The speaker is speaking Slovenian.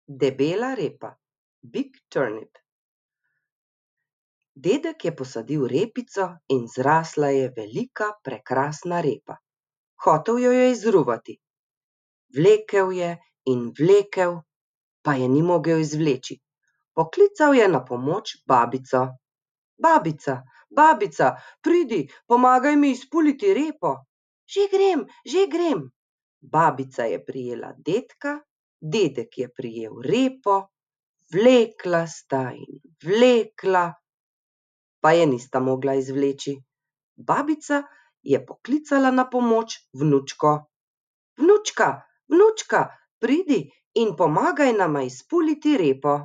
Debela repa, big turnip. Dedek je posadil repico in zrasla je velika, prekrasna repa. Hotel jo je izruvati. Vlekel je in vlekel, pa je ni mogel izvleči. Poklical je na pomoč babico. Babica, babica, pridi, pomagaj mi izpuliti repo. Že grem. Babica je prijela dedka, dedek je prijel repo, vlekla sta in vlekla, pa je nista mogla izvleči. Babica je poklicala na pomoč vnučko. Vnučka, vnučka, pridi in pomagaj nama izpuliti repo.